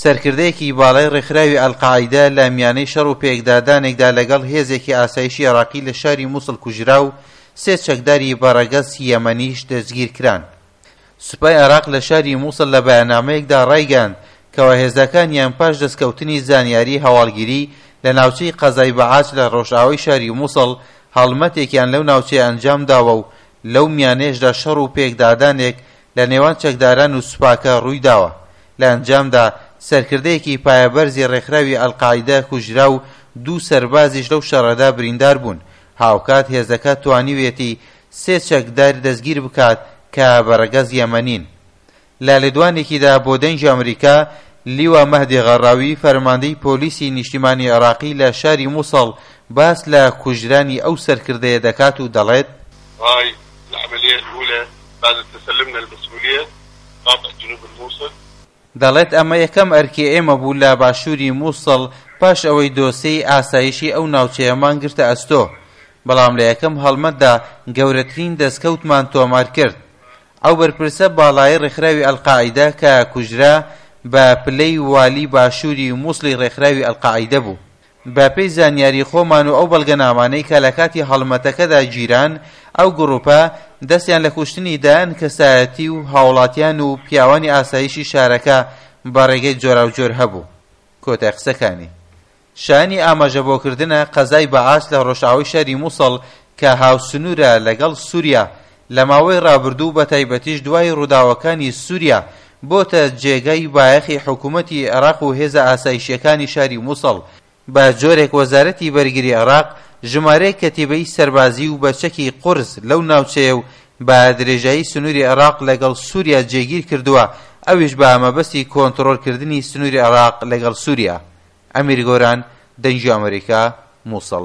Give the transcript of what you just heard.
سەرکردەیەکی باڵای ڕێکخراوی ئەلقاعیدە لە میانەی شەڕ و پێکدادانێکدا لەگەڵ هێزێکی ئاسایشی عێراقی لە شاری موسڵ کوژرا و سێ چەکداری بە ڕەگەز یەمەنیش دەستگیرکران. سوپای عێراق لە شاری موسڵ لە بەیاننامەیەکدا ڕایگەیاند کەوا هێزەکانیان پاش دەستکەوتنی زانیاری هەواڵگیری لە ناوچەی قەزای بەعاج لە ڕۆژئاوای شاری موسڵ هەڵمەتێکیان لەو ناوچەیە ئەنجامداوە و لەو میانەیەشدا شەڕ و پێکدادانێک لە نێوان چەکداران و سوپاکە ڕوویداوە، لە ئەنجامدا سەرکردەیەکی پایەبەرزی ڕێکخراوی ئەلقاعیدە کوژرا و دوو سەربازیش لەو شەڕەدا بریندار بوون، هاوکات هێزەکە توانیویەتی سێ چەکدار دەستگیر بکات کە بە ڕەگەز یەمەنین. لە لێدوانێکیدا بۆ دەنگی ئەمریکا، لیوا مەهدی غەڕاوی فەرماندەی پۆلیسی نیشتیمانی عێراقی لە شاری موسڵ باس لە کوژرانی ئەو سەرکردەیە دەکات و دەڵێت، هاي العملية الأولى بعد تسلمنا المسؤولية قاطع جنوب الموصل. دەڵێت ئەمە یەکەم ئەرکی ئێمە بوو لە باشووری موسڵ پاش ئەوەی دۆسێی ئاسایشی ئەو ناوچەیەمان گرتە ئەستۆ، بەڵام لە یەکەم هەڵمەتدا گەورەترین دەستکەوتمان تۆمار کرد. ئەو بەرپرسە باڵایەی ڕێکخراوی ئەلقاعیدە کە کوژرا بە پلەی والی باشووری موسڵی ڕێکخراوی ئەلقاعیدە بوو. بە پێی زانیاری خۆمان و ئەو بەڵگەنامانەی کە لە کاتی هەڵمەتەکەدا گیران، ئەو گڕوپە دەستیان لە کوشتنی دەیان کەسایەتی و هاوڵاتیان و پیاوانی ئاسایشی شارەکە بە ڕێگەی جۆراوجۆر هەبوو. کۆتای قسەکانی. شایانی ئاماژەبۆکردنە قەزای بەعاس لە ڕۆژئاوای شاری موسڵ کە هاوسنوورە لەگەڵ سوریا، لە ماوەی ڕابردوو بەتایبەتیش دوای ڕووداوەکانی سوریا بۆتە جێگای بایەخی حکومەتی عێراق و هێزە ئاسایشییەکانی شاری موسڵ، بە جۆرێک وەزارەتی بەرگری عێراق ژمارەیەک کەتیبەی سەربازی و بە چەکی قورس لەو ناوچەیە و بە درێژایی سنووری عێراق لەگەڵ سوریا جێگیر کردووە، ئەویش بە مەبەستی کۆنتڕۆڵکردنی سنووری عێراق لەگەڵ سوریا. ئەمیر گۆران، دەنگی ئەمەریکا، موسڵ.